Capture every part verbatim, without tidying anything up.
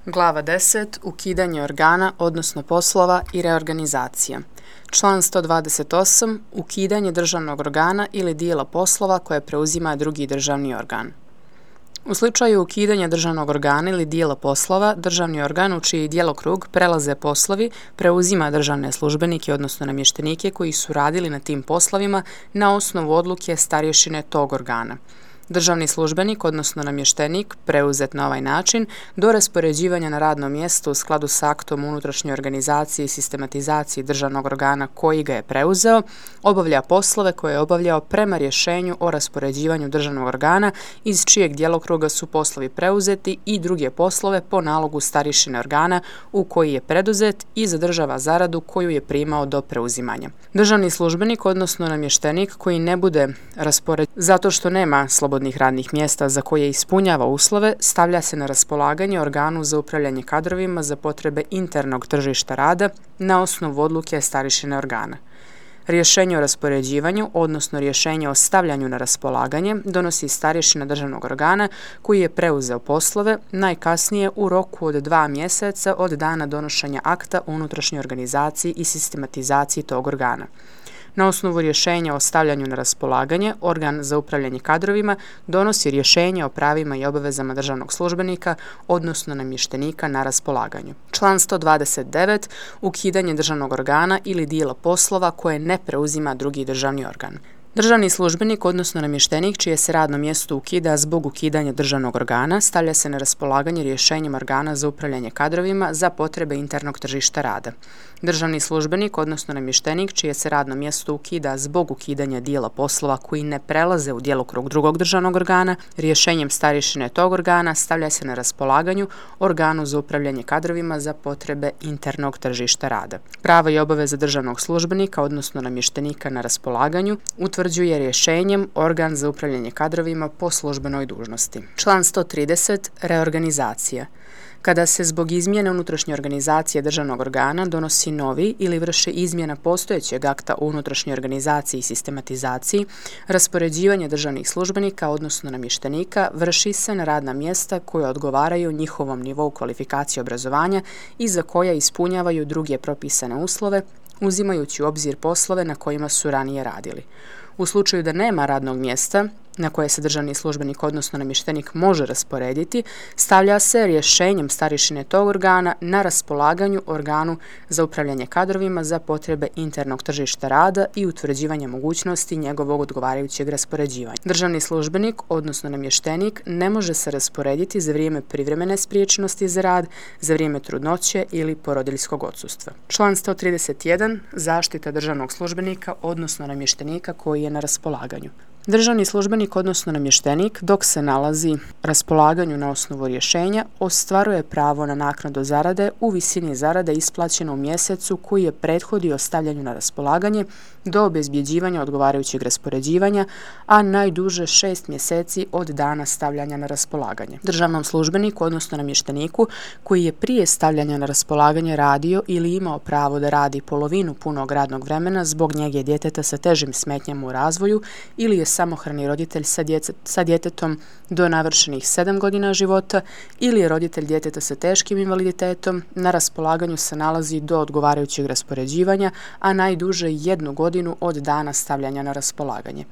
Glava deset. Ukidanje organa, odnosno poslova i reorganizacija. Član sto dvadeset osam. Ukidanje državnog organa ili dijela poslova koje preuzima drugi državni organ. U slučaju ukidanja državnog organa ili dijela poslova, državni organ u čiji djelokrug prelaze poslovi preuzima državne službenike, odnosno namještenike koji su radili na tim poslovima na osnovu odluke starješine tog organa. Državni službenik, odnosno namještenik, preuzet na ovaj način, do raspoređivanja na radno mjesto u skladu s aktom unutrašnje organizacije i sistematizacije državnog organa koji ga je preuzeo, obavlja poslove koje je obavljao prema rješenju o raspoređivanju državnog organa iz čijeg djelokruga su poslovi preuzeti i druge poslove po nalogu starješine organa u koji je preduzet i zadržava zaradu koju je primao do preuzimanja. Državni službenik, odnosno namještenik koji ne bude raspoređen zato što nema slobodnih radnih mjesta za koje ispunjava uslove, stavlja se na raspolaganje organu za upravljanje kadrovima za potrebe internog tržišta rada na osnovu odluke starješine organa. Rješenje o raspoređivanju, odnosno rješenje o stavljanju na raspolaganje, donosi starješina državnog organa koji je preuzeo poslove najkasnije u roku od dva mjeseca od dana donošenja akta unutrašnje organizaciji i sistematizaciji tog organa. Na osnovu rješenja o stavljanju na raspolaganje, organ za upravljanje kadrovima donosi rješenje o pravima i obavezama državnog službenika, odnosno namještenika na raspolaganju. Član sto dvadeset devet. Ukidanje državnog organa ili dijela poslova koje ne preuzima drugi državni organ. Državni službenik, odnosno namještenik, čije se radno mjesto ukida zbog ukidanja državnog organa, stavlja se na raspolaganje rješenjem organa za upravljanje kadrovima za potrebe internog tržišta rada. Državni službenik, odnosno namještenik, čije se radno mjesto ukida zbog ukidanja dijela poslova koji ne prelaze u djelokrug drugog državnog organa, rješenjem starješine tog organa stavlja se na raspolaganju organu za upravljanje kadrovima za potrebe internog tržišta rada. Prava i obaveze državnog službenika, odnosno namještenika na raspolaganju, utvrđuje rješenjem organ za upravljanje kadrovima po službenoj dužnosti. Član sto trideset. Reorganizacija. Kada se zbog izmjene unutrašnje organizacije državnog organa donosi novi ili vrše izmjena postojećeg akta o unutrašnjoj organizaciji i sistematizaciji, raspoređivanje državnih službenika, odnosno namještenika, vrši se na radna mjesta koja odgovaraju njihovom nivou kvalifikacije obrazovanja i za koja ispunjavaju druge propisane uslove, uzimajući u obzir poslove na kojima su ranije radili. U slučaju da nema radnog mjesta na koje se državni službenik, odnosno namještenik, može rasporediti, stavlja se rješenjem starješine tog organa na raspolaganju organu za upravljanje kadrovima za potrebe internog tržišta rada i utvrđivanja mogućnosti njegovog odgovarajućeg raspoređivanja. Državni službenik, odnosno namještenik, ne može se rasporediti za vrijeme privremene spriječenosti za rad, za vrijeme trudnoće ili porodiljskog odsustva. Član sto trideset jedan. Zaštita državnog službenika, odnosno namještenika koji je na raspolaganju. Državni službenik, odnosno namještenik, dok se nalazi raspolaganju na osnovu rješenja, ostvaruje pravo na naknadu zarade u visini zarade isplaćene u mjesecu koji je prethodio stavljanju na raspolaganje do obezbjeđivanja odgovarajućeg raspoređivanja, a najduže šest mjeseci od dana stavljanja na raspolaganje. Državnom službeniku, odnosno namješteniku, koji je prije stavljanja na raspolaganje radio ili imao pravo da radi polovinu punog radnog vremena zbog njege djeteta sa težim smetnjama u razvoju ili je samohrani roditelj sa, djece, sa djetetom do navršenih sedam godina života ili je roditelj djeteta sa teškim invaliditetom, na raspolaganju se nalazi do odgovarajućeg raspoređivanja, a najduže jednu godinu od dana stavljanja na raspolaganje.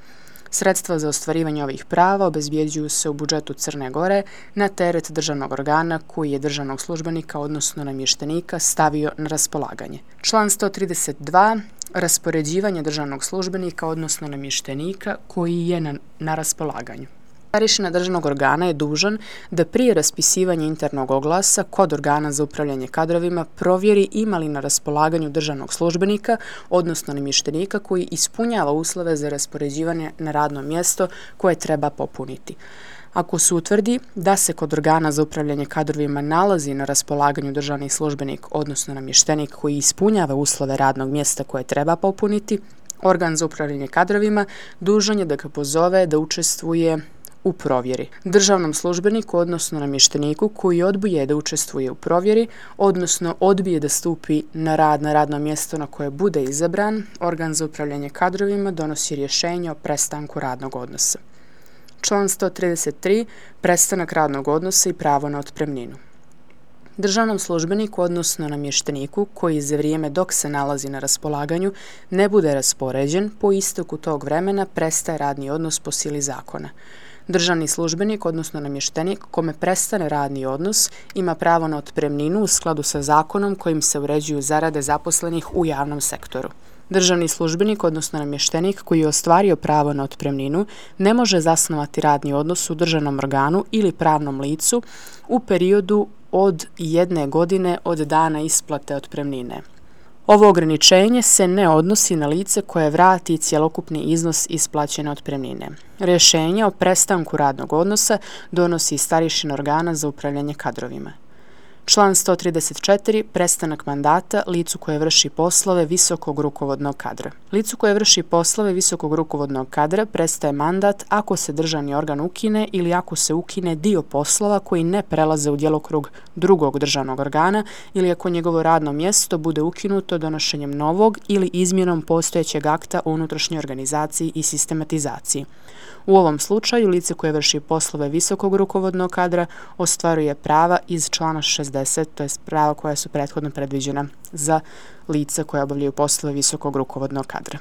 Sredstva za ostvarivanje ovih prava obezbjeđuju se u budžetu Crne Gore na teret državnog organa koji je državnog službenika, odnosno namještenika, stavio na raspolaganje. Član sto trideset dva. Raspoređivanje državnog službenika, odnosno namještenika koji je na, na raspolaganju. Starješina državnog organa je dužan da prije raspisivanja internog oglasa kod organa za upravljanje kadrovima provjeri ima li na raspolaganju državnog službenika, odnosno namještenika koji ispunjava uslove za raspoređivanje na radno mjesto koje treba popuniti. Ako se utvrdi da se kod organa za upravljanje kadrovima nalazi na raspolaganju državni službenik, odnosno namještenik koji ispunjava uslove radnog mjesta koje treba popuniti, organ za upravljanje kadrovima dužan je da ga pozove da učestvuje u provjeri. Državnom službeniku, odnosno namješteniku koji odbije da učestvuje u provjeri, odnosno odbije da stupi na rad na radno mjesto na koje bude izabran, organ za upravljanje kadrovima donosi rješenje o prestanku radnog odnosa. Član sto trideset tri. Prestanak radnog odnosa i pravo na otpremninu. Državnom službeniku, odnosno namješteniku, koji za vrijeme dok se nalazi na raspolaganju ne bude raspoređen, po isteku tog vremena prestaje radni odnos po sili zakona. Državni službenik, odnosno namještenik, kome prestane radni odnos, ima pravo na otpremninu u skladu sa zakonom kojim se uređuju zarade zaposlenih u javnom sektoru. Državni službenik, odnosno namještenik, koji je ostvario pravo na otpremninu, ne može zasnovati radni odnos u državnom organu ili pravnom licu u periodu od jedne godine od dana isplate otpremnine. Ovo ograničenje se ne odnosi na lice koje vrati cjelokupni iznos isplaćene otpremnine. Rješenje o prestanku radnog odnosa donosi starješina organa za upravljanje kadrovima. Član sto trideset četiri. Prestanak mandata licu koje vrši poslove visokog rukovodnog kadra. Licu koje vrši poslove visokog rukovodnog kadra prestaje mandat ako se državni organ ukine ili ako se ukine dio poslova koji ne prelaze u djelokrug drugog državnog organa ili ako njegovo radno mjesto bude ukinuto donošenjem novog ili izmjenom postojećeg akta o unutrašnjoj organizaciji i sistematizaciji. U ovom slučaju lice koje vrši poslove visokog rukovodnog kadra ostvaruje prava iz člana šezdeset, to je prava koja su prethodno predviđena za lice koje obavljaju poslove visokog rukovodnog kadra.